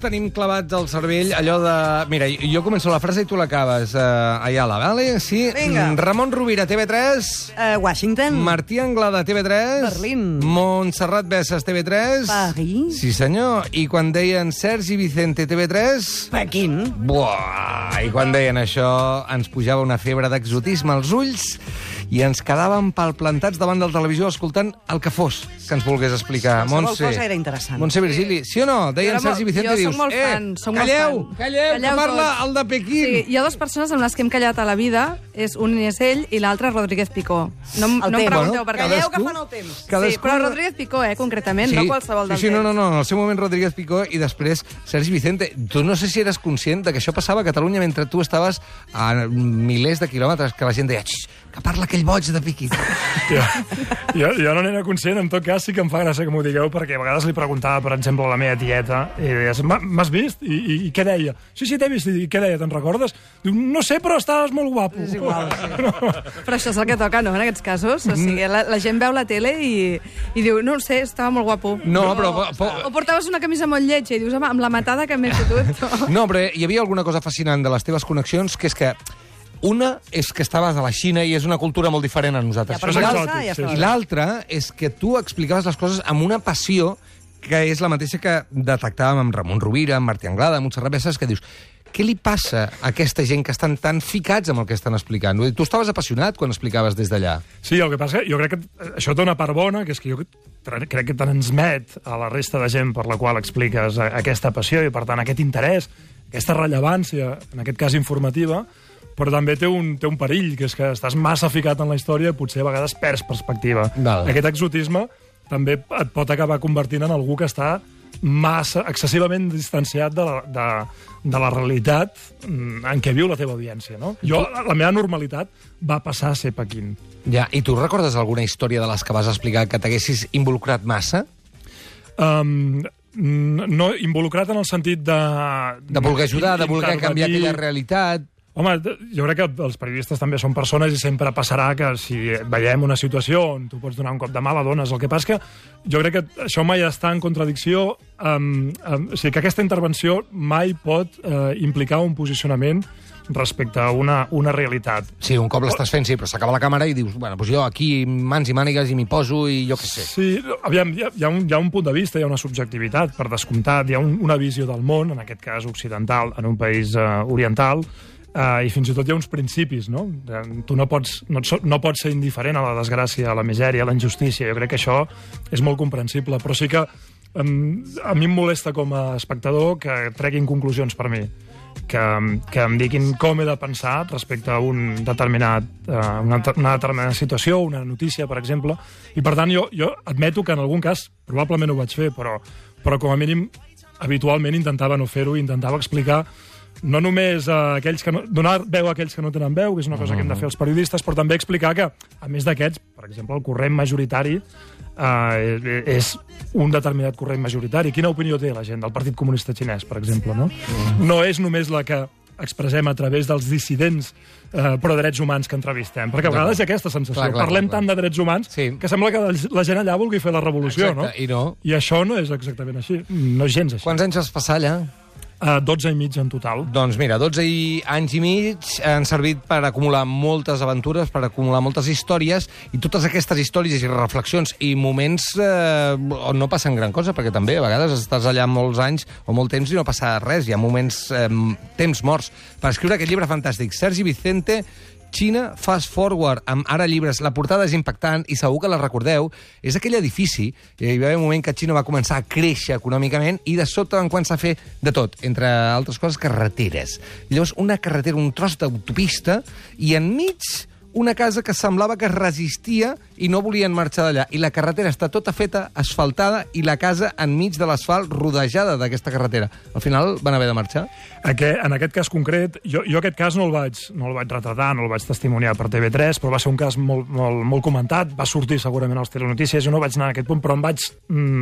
tenim clavats al cervell allò de... Mira, jo començo la frase i tu l'acabes. Ayala, vale? Sí. Vinga. Ramon Rovira, TV3. Washington. Martí Anglada, TV3. Berlín. Montserrat Bessas, TV3. París. Sí, senyor. I quan deien Sergi Vicente, TV3... Pequín. Buah! I quan deien això, ens pujava una febre d'exotisme als ulls i ens quedàvem palplantats davant de la televisió escoltant el que fos que ens volgués explicar. Qualsevol Montse, cosa era interessant. Montse Virgili, sí o no? Deien Sergi Vicente i dius... Jo soc molt fan, soc molt calleu, fan. calleu, que parla tots. el de Pequín. Sí, hi ha dues persones amb les que hem callat a la vida, un és ell i l'altre Rodríguez Picó. No em pregunteu per què. Calleu que fan el temps. Sí, però Rodríguez Picó, concretament, no qualsevol dels sí, no, en el seu moment Rodríguez Picó i després Sergi Vicente. Tu no sé si eres conscient de que això passava a Catalunya mentre tu estaves a milers de quilòmetres, que la gent deia que parla aquell boig de Pequín. Jo no n'era conscient, en tot cas sí que em fa gràcia que m'ho digueu, perquè a vegades li preguntava, per exemple, a la meva tieta, i deies, m'has vist? I què deia? Sí, t'he vist. I què deia, te'n recordes? Diu, no sé, però estaves molt guapo. És igual, sí. Però això és el que toca, no?, en aquests casos. O sigui, la gent veu la tele i diu, no ho sé, estava molt guapo. No, però... O portaves una camisa molt lletja i dius, home, amb la matada que m'he fotut. No, però hi havia alguna cosa fascinant de les teves connexions, que és que una és que estaves a la Xina i és una cultura molt diferent a nosaltres. Ja, però I l'altra és que tu explicaves les coses amb una passió que és la mateixa que detectàvem amb Ramon Rovira, amb Martí Anglada, amb Montserrat Bessas, que dius, què li passa a aquesta gent que estan tan ficats amb el que estan explicant? Tu estaves apassionat quan explicaves des d'allà. Sí, el que passa que jo crec que això té una part bona, que és que jo crec que transmet a la resta de gent per la qual expliques aquesta passió i, per tant, aquest interès, aquesta rellevància, en aquest cas informativa, però també té un perill, que és que estàs massa ficat en la història i potser a vegades perds perspectiva. Val. Aquest exotisme també et pot acabar convertint en algú que està massa, excessivament distanciat de la realitat en què viu la teva audiència, no? La meva normalitat va passar a ser Pequín. Ja, i tu recordes alguna història de les que vas explicar que t'haguessis involucrat massa? No, involucrat en el sentit de... De voler ajudar, de voler canviar aquella realitat... Home, jo crec que els periodistes també són persones i sempre passarà que si veiem una situació on tu pots donar un cop de mà, la dones. El que passa que jo crec que això mai està en contradicció, o sigui, que aquesta intervenció mai pot implicar un posicionament respecte a una realitat. Sí, un cop l'estàs fent, sí, però s'acaba la càmera i dius, bueno, doncs jo aquí mans i mànigues i m'hi poso i jo què sé. Sí, aviam, hi ha un punt de vista, hi ha una subjectivitat, per descomptat, hi ha una visió del món, en aquest cas occidental, en un país oriental, i fins i tot hi ha uns principis, no? Tu no pots ser indiferent a la desgràcia, a la misèria, a la injustícia. Jo crec que això és molt comprensible, però sí que a mi em molesta com a espectador que treguin conclusions per mi, que em diguin com he de pensar respecte a una determinada situació, una notícia, per exemple, i per tant jo admeto que en algun cas probablement ho vaig fer, però com a mínim habitualment intentava no fer-ho, intentava explicar no només donar veu a aquells que no tenen veu, que és una cosa que hem de fer els periodistes, però també explicar que, a més d'aquests, per exemple, el corrent majoritari és un determinat corrent majoritari. Quina opinió té la gent del Partit Comunista Xinès, per exemple, no? No és només la que expressem a través dels dissidents pro drets humans que entrevistem, perquè a vegades hi ha aquesta sensació. Parlem tant de drets humans que sembla que la gent allà vulgui fer la revolució, no? I això no és exactament així, no és gens així. Quants anys vas passar allà? 12 i mig en total. Doncs mira, 12 anys i mig han servit per acumular moltes aventures, per acumular moltes històries, i totes aquestes històries i reflexions i moments on no passen gran cosa, perquè també a vegades estàs allà molts anys o molt temps i no passa res, hi ha moments, temps morts, per escriure aquest llibre fantàstic. Sergi Vicente, Xina Fast Forward, amb ara llibres. La portada és impactant i segur que la recordeu. És aquell edifici, hi va haver un moment que Xina va començar a créixer econòmicament i de sobte en quan s'ha fet de tot, entre altres coses, carreteres. I llavors una carretera, un tros d'autopista i enmig una casa que semblava que resistia i no volien marxar d'allà. I la carretera està tota feta, asfaltada, i la casa enmig de l'asfalt rodejada d'aquesta carretera. Al final van haver de marxar? En aquest cas concret, jo aquest cas no el vaig retratar, no el vaig testimoniar per TV3, però va ser un cas molt comentat, va sortir segurament als telenotícies, jo no vaig anar a aquest punt, però em vaig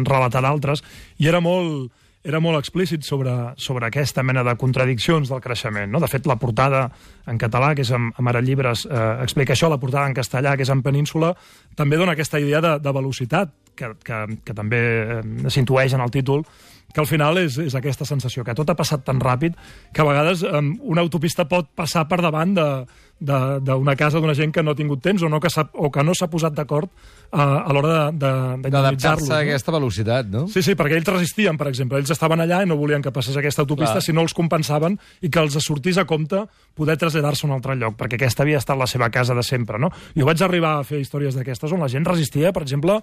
relatar d'altres, i era molt explícit sobre aquesta mena de contradiccions del creixement, no? De fet, la portada en català, que és amb Ara Llibres, explica això, la portada en castellà, que és en Península, també dona aquesta idea de velocitat, que també s'intueix en el títol, que al final és aquesta sensació, que tot ha passat tan ràpid que a vegades una autopista pot passar per davant d'una casa d'una gent que no ha tingut temps o que no s'ha posat d'acord a l'hora d'indemnitzar-los. D'adaptar-se a aquesta velocitat, no? Sí, perquè ells resistien, per exemple. Ells estaven allà i no volien que passés aquesta autopista si no els compensaven i que els sortís a compte poder traslladar-se a un altre lloc, perquè aquesta havia estat la seva casa de sempre, no? Jo vaig arribar a fer històries d'aquestes on la gent resistia, per exemple,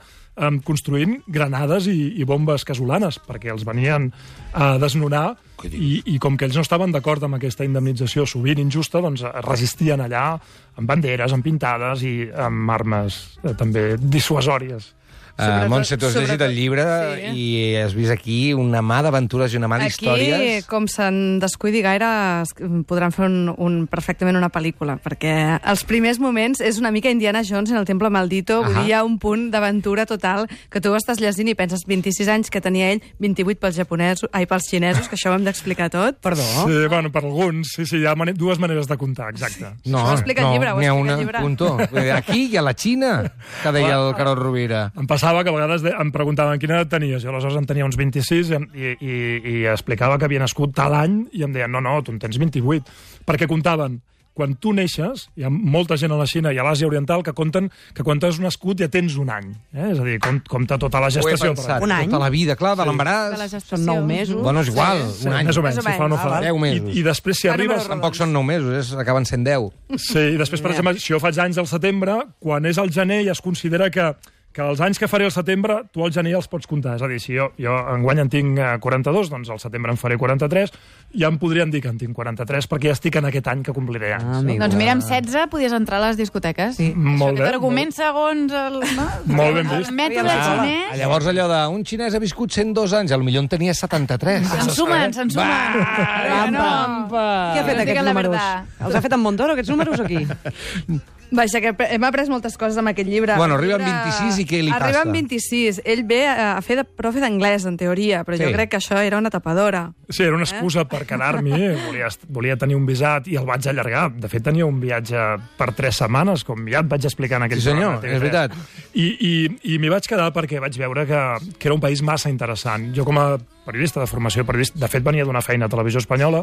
construint granades i bombes casolanes, perquè els venien a desnonar i com que ells no estaven d'acord amb aquesta indemnització sovint injusta, doncs resistien allà amb banderes, amb pintades i amb armes també dissuasòries. Montse, tu has llegit el llibre i has vist aquí una mà d'aventures i una mà d'històries. Aquí, com se'n descuidi gaire, podran fer perfectament una pel·lícula, perquè els primers moments és una mica Indiana Jones en el Temple Maldito, vull dir, hi ha un punt d'aventura total que tu estàs llegint i penses 26 anys que tenia ell, 28 pels xinesos, que això ho hem d'explicar tot. Perdó? Sí, bueno, per alguns, sí, hi ha dues maneres de comptar, exacte. No, Ho explica el llibre, n'hi ha una, punto. Aquí i a la Xina, que deia el Carol Rovira. Em passava que a vegades em preguntaven quina edat tenies. Jo aleshores en tenia uns 26 i explicava que havia nascut tal any i em deien, no, tu en tens 28. Perquè comptaven, quan tu neixes, hi ha molta gent a la Xina i a l'Àsia Oriental que compten que quan t'has nascut ja tens un any. És a dir, compta tota la gestació. Ho he pensat, Un any? tota la vida, clar, de l'embaràs. Són 9 mesos. Bueno, és igual, un any. Més o menys, si fa o no fa. 10 mesos. I després, si arribes... Tampoc són 9 mesos, acaben sent 10. Sí, i després, per exemple, si jo faig anys al setembre, quan és al gener ja es considera que els anys que faré al setembre, tu al gener ja els pots comptar. És a dir, si jo enguany en tinc 42, doncs al setembre en faré 43, ja em podrien dir que en tinc 43, perquè ja estic en aquest any que compliré anys. Doncs mira, amb 16 podies entrar a les discoteques. Sí. Molt bé. Argument segons el... No? Molt ben vist. El mètode xinès. Llavors allò d'un xinès ha viscut 102 anys, potser en tenia 73. Se'n sumen. Rampa! Qui ha fet aquests números? Els ha fet en Montoro, aquests números, aquí? Vaja, que hem après moltes coses amb aquest llibre. Bueno, arriba amb 26 i què li passa? Arriba amb 26. Ell ve a fer de profe d'anglès, en teoria, però jo crec que això era una tapadora. Sí, era una excusa per quedar-m'hi. Volia tenir un visat i el vaig allargar. De fet, tenia un viatge per 3 setmanes, com ja et vaig explicar en aquell programa. Sí, senyor, és veritat. I m'hi vaig quedar perquè vaig veure que era un país massa interessant. Jo, com a periodista de formació, de fet, venia d'una feina a Televisió Espanyola,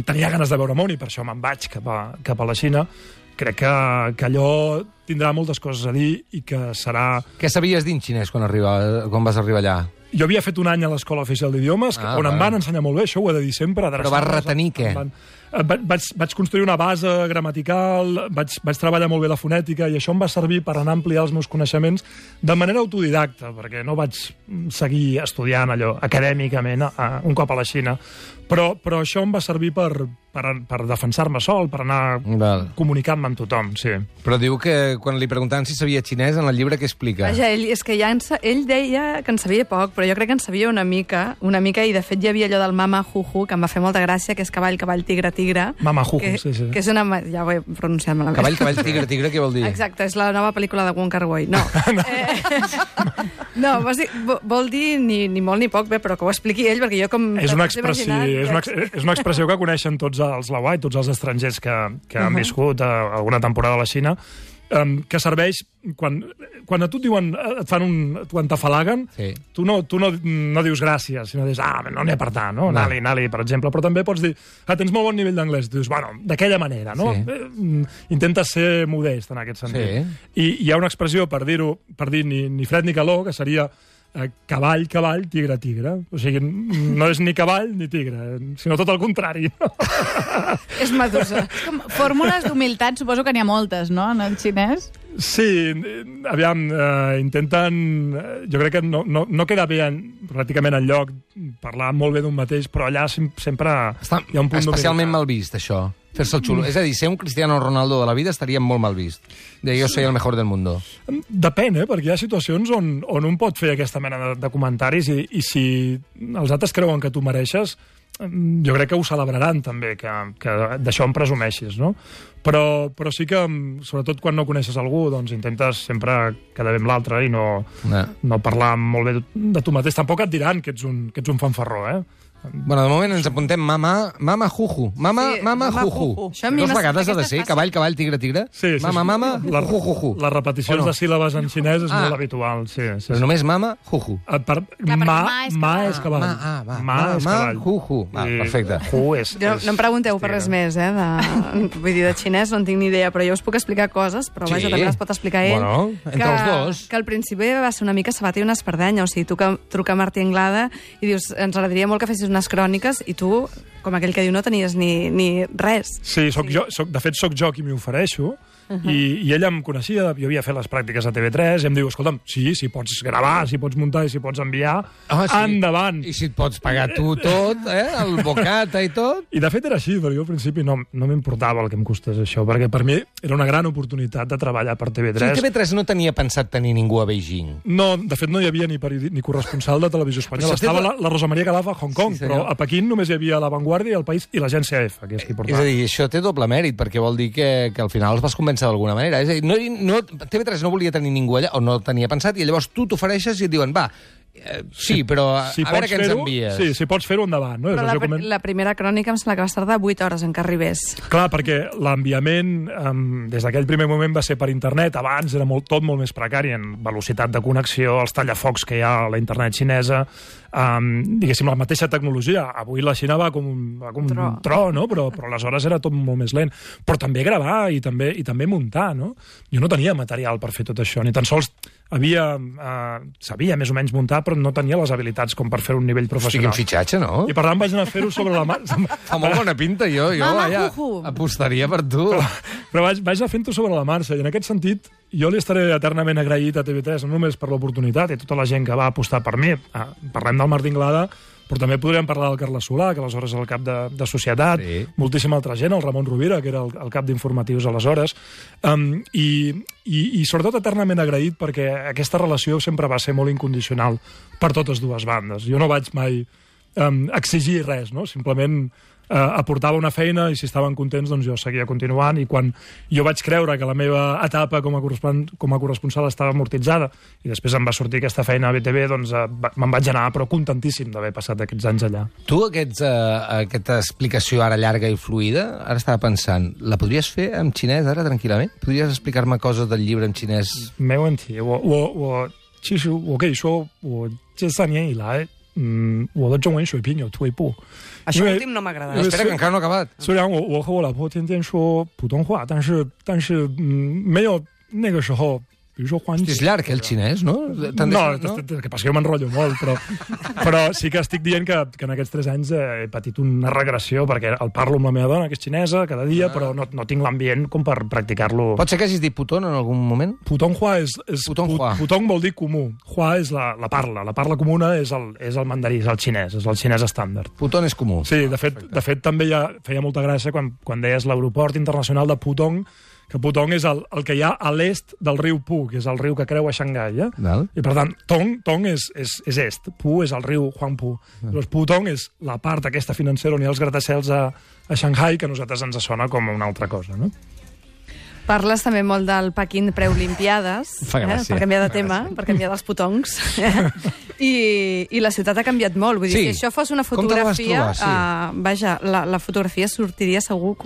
tenia ganes de veure món i per això me'n vaig cap a la Xina. Crec que allò tindrà moltes coses a dir i que serà... Què sabies dir en xinès quan vas arribar allà? Jo havia fet un any a l'Escola Oficial d'Idiomes, on em van ensenyar molt bé, això ho he de dir sempre. Però vas retenir què? Vaig construir una base gramatical, vaig treballar molt bé la fonètica i això em va servir per anar a ampliar els meus coneixements de manera autodidacta, perquè no vaig seguir estudiant allò acadèmicament un cop a la Xina, però això em va servir per defensar-me sol, per anar comunicant-me amb tothom, sí. Però diu que quan li preguntaven si sabia xinès, en el llibre què explica? Vaja, és que ell deia que en sabia poc, però jo crec que en sabia una mica, i de fet hi havia allò del mama juju, que em va fer molta gràcia, que és cavall, tigre, tigre. Mama juju, sí. Que és una... Ja ho he pronunciat malament. Cavall, tigre, tigre, què vol dir? Exacte, és la nova pel·lícula de Wong Kar-wai. No. No, vol dir ni molt ni poc, bé, però que ho expliqui ell, perquè jo com... És una expressió que coneixen tots els lauai, tots els estrangers que han viscut alguna temporada a la Xina, que serveix quan a tu et diuen, quan t'afalaguen, tu no dius gràcies, sinó dius, no n'hi ha per tant, no? Anali, per exemple. Però també pots dir, tens molt bon nivell d'anglès. Dius, bueno, d'aquella manera, no? Intentes ser modest en aquest sentit. I hi ha una expressió per dir ni fred ni calor, que seria cavall, tigre, tigre. O sigui, no és ni cavall ni tigre, sinó tot el contrari. És Medusa. Fórmules d'humilitat, suposo que n'hi ha moltes, no?, en el xinès. Sí, aviam, intenten... Jo crec que no queda bé pràcticament enlloc parlar molt bé d'un mateix, però allà sempre hi ha un punt especialment mal vist, això. Fer-se el xulo. És a dir, ser un Cristiano Ronaldo de la vida estaria molt mal vist. De jo soy el mejor del mundo. Depèn, perquè hi ha situacions on un pot fer aquesta mena de comentaris i si els altres creuen que tu mereixes, jo crec que ho celebraran també, que d'això en presumeixis, no? Però sí que, sobretot quan no coneixes algú, doncs intentes sempre quedar bé amb l'altre i no parlar molt bé de tu mateix. Tampoc et diran que ets un fanfarró, Bueno, de moment ens apuntem mama juju. Mama juju. Dos vegades ha de ser, cavall, tigre, tigre. Sí. Mama juju, juju. Les repeticions de síl·labes en xinès és molt habitual. Sí. Però només mama juju. Ma és cavall. Ma és cavall. Juju. Perfecte. Ju és... No em pregunteu per res més, vull dir, de xinès no en tinc ni idea, però jo us puc explicar coses, però vaja, també les pot explicar ell. Bueno, entre els dos. Que al principi va ser una mica sabat i una espardenya, o sigui, tu que truca a Martí Anglada i dius, ens agradaria molt que fessis unes cròniques, i tu, com aquell que diu, no tenies ni res. Sí, de fet, sóc jo qui m'hi ofereixo, i ella em coneixia, jo havia fet les pràctiques a TV3, i em diu, escolta'm, si pots gravar, si pots muntar i si pots enviar, endavant. I si et pots pagar tu tot, el bocata i tot. I de fet era així, però jo al principi no m'importava el que em costés això, perquè per mi era una gran oportunitat de treballar per TV3. Sí, TV3 no tenia pensat tenir ningú a Beijing. No, de fet no hi havia ni corresponsal de Televisió Espanyola. Estava la Rosa Maria Calaf a Hong Kong, però a Pequín només hi havia La Vanguardia, El País i l'agència F, que és qui portava. És a dir, això té doble mèrit, perquè vol dir que al final els vas convèncer d'alguna manera. És a dir, TV3 no volia tenir ningú allà, o no tenia pensat, i llavors tu t'ofereixes i et diuen, va, sí, però a veure què ens envies. Sí, si pots fer-ho, endavant. No? Però la primera crònica em sembla que va tardar 8 hores en que arribés. Clar, perquè l'enviament des d'aquell primer moment va ser per internet. Abans era tot molt més precari en velocitat de connexió, els tallafocs que hi ha a la internet xinesa, diguéssim, la mateixa tecnologia. Avui la Xina va com un tro, no? Però aleshores era tot molt més lent. Però també gravar i també muntar, no? Jo no tenia material per fer tot això, ni tan sols sabia més o menys muntar, però no tenia les habilitats com per fer un nivell professional. Quin fitxatge, no? I per tant vaig anar a fer-ho sobre la marxa. Fa molt bona pinta, jo apostaria per tu. Però vaig anar fent-ho sobre la marxa, i en aquest sentit jo li estaré eternament agraït a TV3, no només per l'oportunitat i tota la gent que va apostar per mi. Parlem del Martí Anglada, però també podríem parlar del Carles Solà, que aleshores era el cap de Societat, moltíssima altra gent, el Ramon Rovira, que era el cap d'informatius aleshores, i sobretot eternament agraït perquè aquesta relació sempre va ser molt incondicional per totes dues bandes. Jo no vaig mai exigir res, no? Simplement aportava una feina i si estaven contents doncs jo seguia continuant, i quan jo vaig creure que la meva etapa com a corresponsal estava amortitzada i després em va sortir aquesta feina a BTV, doncs me'n vaig anar, però contentíssim d'haver passat aquests anys allà. Tu aquesta explicació ara llarga i fluida, ara estava pensant, la podries fer en xinès ara tranquil·lament? Podries explicar-me coses del llibre en xinès? 没问题，其实我可以说我这3年以来我的中文水平有退步。 Això últim no m'ha agradat. Espera, que encara no ha acabat. 虽然我和我老婆天天说普通话，但是没有那个时候，比如说欢喜。 És llarg, el xinès, no? No, que passa que jo m'enrotllo molt, però sí que estic dient que en aquests 3 anys he patit una regressió, perquè el parlo amb la meva dona, que és xinesa, cada dia, però no tinc l'ambient com per practicar-lo. Pot ser que hagis dit putón en algun moment? Putonghua Putong vol dir comú. Hua és la parla. La parla comuna és el mandarí, és el xinès estàndard. Putón és comú. Sí, de fet també feia molta gràcia quan deies l'aeroport internacional de Putong, que Putong és el que hi ha a l'est del riu Pu, que és el riu que creua Xangai. I per tant, Tong és est, Pu és el riu Huangpu. Llavors, Putong és la part aquesta financera on hi ha els gratacels a Shanghai, que a nosaltres ens sona com una altra cosa, no? Parles també molt del Pequín Preolimpiades, per canviar de tema, per canviar dels putongs. I la ciutat ha canviat molt. Vull dir, si això fos una fotografia, vaja, la fotografia sortiria segur...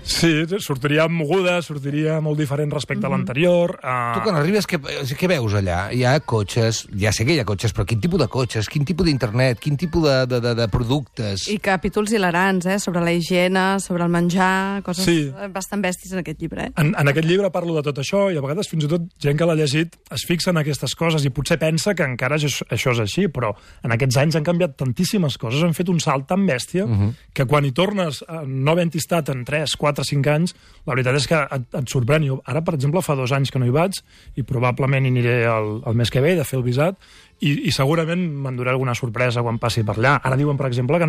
Sí, sortiria moguda, sortiria molt diferent respecte a l'anterior. Tu quan arribes, què veus allà? Hi ha cotxes, ja sé que hi ha cotxes, però quin tipus de cotxes, quin tipus d'internet, quin tipus de productes? I capítols hilarants, sobre la higiene, sobre el menjar, coses bastant bèsties en aquest llibre. En aquest llibre parlo de tot això, i a vegades fins i tot gent que l'ha llegit es fixa en aquestes coses i potser pensa que encara això és així, però en aquests anys han canviat tantíssimes coses, han fet un salt tan bèstia que quan hi tornes no havent estat en 3, 4, 5 anys, la veritat és que et sorprèn. Jo ara, per exemple, fa 2 anys que no hi vaig i probablement hi aniré el mes que ve de fer el visat i segurament m'enduré alguna sorpresa quan passi per allà. Ara diuen, per exemple, que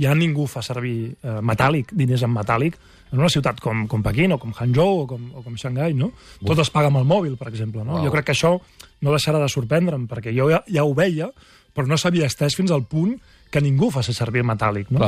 ja ningú fa servir metàl·lic, diners en metàl·lic, en una ciutat com Pequín o com Hangzhou o com Xangai, no? Tot es paga amb el mòbil, per exemple, no? Jo crec que això no deixarà de sorprendre'm, perquè jo ja ho veia, però no s'havia estès fins al punt que ningú faci servir metàl·lic, no?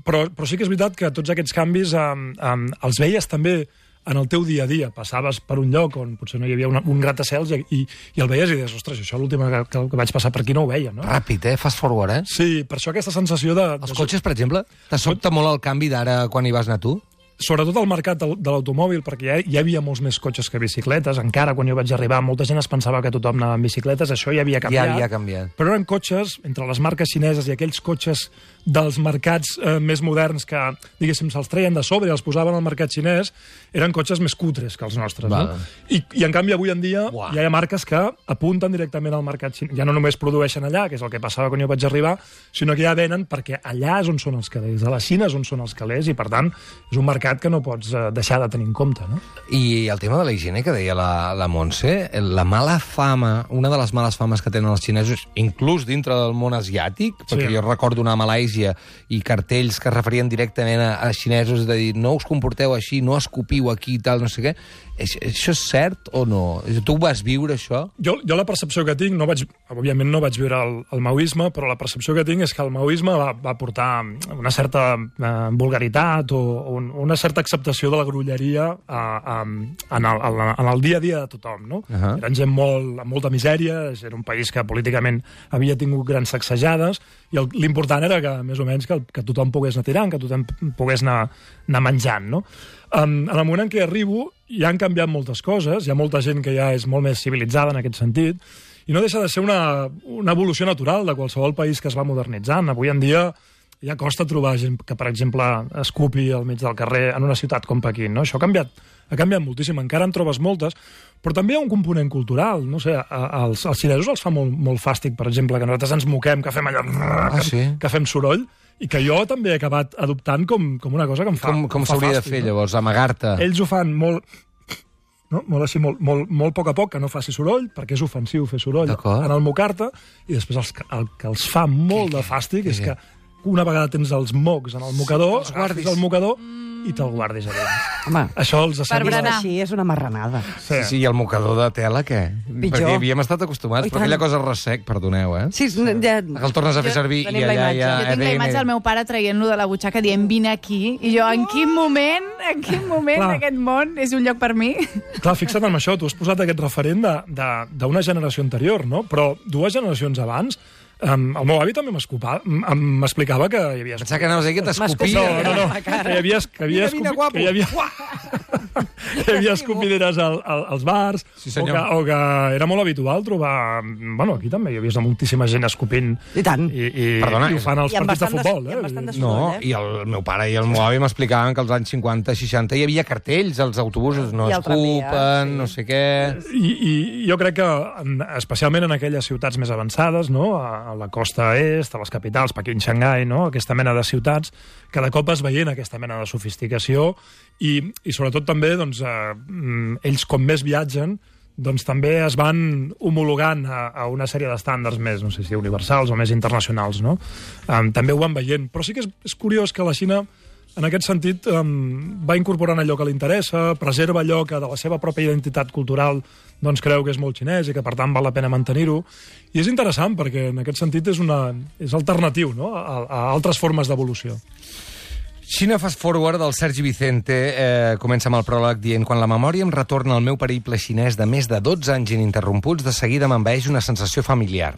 Però sí que és veritat que tots aquests canvis els veies també en el teu dia a dia. Passaves per un lloc on potser no hi havia un gratacels i el veies i deies, ostres, això l'últim que vaig passar per aquí no ho veia, no? Ràpid, fast forward, Sí, per això aquesta sensació de... Els cotxes, per exemple, te sobta molt el canvi d'ara quan hi vas anar tu? Sobretot al mercat de l'automòbil, perquè hi havia molts més cotxes que bicicletes. Encara quan jo vaig arribar, molta gent es pensava que tothom anava amb bicicletes, això ja havia canviat. Ja havia canviat. Però eren cotxes, entre les marques xineses i aquells cotxes dels mercats més moderns que, diguéssim, se'ls treien de sobre i els posaven al mercat xinès, eren cotxes més cutres que els nostres. No? I en canvi, avui en dia, ja hi ha marques que apunten directament al mercat xinès. Ja no només produeixen allà, que és el que passava quan jo vaig arribar, sinó que ja venen perquè allà és on són els calés, a la Xina és on són els calés, i per tant és un mercat que no pots deixar de tenir en compte, no? I el tema de la higiene que deia la Montse, la mala fama, una de les males fames que tenen els xinesos, inclús dintre del món asiàtic, perquè jo recordo anar a Malàisia i cartells que es referien directament a xinesos de dir, no us comporteu així, no escopiu aquí i tal, no sé què. Això és cert o no? Tu vas viure això? Jo la percepció que tinc, òbviament no vaig viure el maoisme, però la percepció que tinc és que el maoisme va portar una certa vulgaritat o una certa acceptació de la grolleria en el dia a dia de tothom, no? Eren gent amb molta misèria, era un país que políticament havia tingut grans sacsejades, i l'important era que, més o menys, que tothom pogués anar tirant, que tothom pogués anar menjant, no? En el moment en què arribo, ja han canviat moltes coses, hi ha molta gent que ja és molt més civilitzada en aquest sentit, i no deixa de ser una evolució natural de qualsevol país que es va modernitzant. Avui en dia ja costa trobar gent que, per exemple, escupi al mig del carrer en una ciutat com Pequín, no? Això ha canviat moltíssim, encara en trobes moltes, però també hi ha un component cultural, no sé, als xinesos els fa molt fàstic, per exemple, que nosaltres ens moquem, que fem allò, que fem soroll, i que jo també he acabat adoptant com una cosa que em fa Com s'hauria de fer, llavors, amagar-te? Ells ho fan molt així, molt poc a poc, que no faci soroll, perquè és ofensiu fer soroll en el mocar-te, i després el que els fa molt de fàstic és que una vegada tens els mocs en el mocador, agafis el mocador i te'l guardis a dins. Home, això els berenar. Així és una marranada. Sí, i el mocador de tela, què? Pitjor. Perquè havíem estat acostumats, però aquella cosa ressec, perdoneu, Sí, ja... Que el tornes a fer servir i allà hi ha... Jo tinc la imatge del meu pare traient-lo de la butxaca dient, vine aquí, i jo, en quin moment d'aquest món és un lloc per mi? Clar, fixa't en això, tu has posat aquest referent d'una generació anterior, no? Però 2 generacions abans, el meu avi també m'explicava que hi havia... Pensava que anaves a dir que t'escopia. No, que hi havia escopideres als bars, o que era molt habitual trobar... Bueno, aquí també hi havia moltíssima gent escopint. I tant. I ho fan als partits de futbol. No, i el meu pare i el meu avi m'explicaven que als anys 50-60 hi havia cartells als autobusos, no escupen, no sé què... I jo crec que, especialment en aquelles ciutats més avançades, no?, a la costa est, a les capitals, Pequín, Xangai, no?, aquesta mena de ciutats, cada cop es veient aquesta mena de sofisticació i sobretot també, doncs, ells com més viatgen, doncs també es van homologant a una sèrie d'estàndards més, no sé si universals o més internacionals, no? També ho van veient. Però sí que és curiós que la Xina, en aquest sentit, va incorporant allò que li interessa, preserva allò que de la seva pròpia identitat cultural doncs creu que és molt xinès i que, per tant, val la pena mantenir-ho. I és interessant, perquè en aquest sentit és alternatiu, no?, a altres formes d'evolució. Xina Fast Forward del Sergi Vicente comença amb el pròleg dient: quan la memòria em retorna al meu periple xinès de més de 12 anys ininterromputs, de seguida m'envaeix una sensació familiar.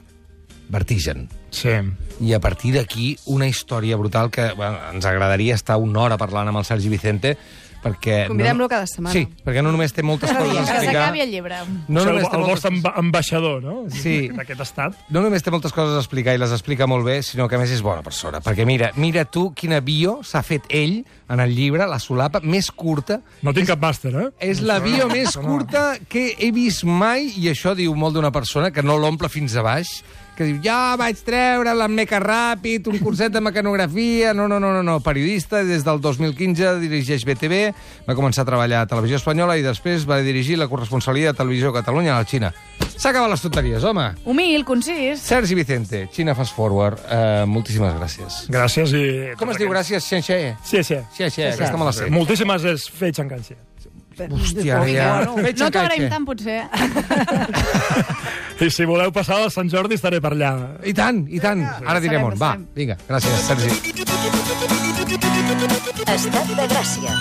Vertigen. Sí. I a partir d'aquí, una història brutal que ens agradaria estar una hora parlant amb el Sergi Vicente, perquè... Convidem-lo cada setmana. Sí, perquè no només té moltes coses a explicar... Que s'acabi el llibre. El vostre ambaixador, no? Sí. D'aquest estat. No només té moltes coses a explicar i les explica molt bé, sinó que a més és bona persona. Perquè mira tu quina bio s'ha fet ell en el llibre, la solapa més curta. No tinc cap màster, És la bio més curta que he vist mai, i això diu molt d'una persona que no l'omple fins a baix, que diu, jo vaig treure l'Ammeca Ràpid, un curset de mecanografia... No, periodista, des del 2015 dirigeix BTV, va començar a treballar a Televisió Espanyola i després va dirigir la corresponsalia de Televisió Catalunya a la Xina. S'ha acabat les tonteries, home! Humil, concís. Sergi Vicente, Xina Fast Forward, moltíssimes gràcies. Gràcies i... Com es diu gràcies? Xenxé? Xie. Aquesta me la sé. Moltíssimes és Fei Xancanxie. Hòstia, ja... No t'agraïm tant, potser. I si voleu passar a Sant Jordi estaré per allà. I tant. Ara direm on. Va, vinga, gràcies, Sergi. Estat de Gràcia.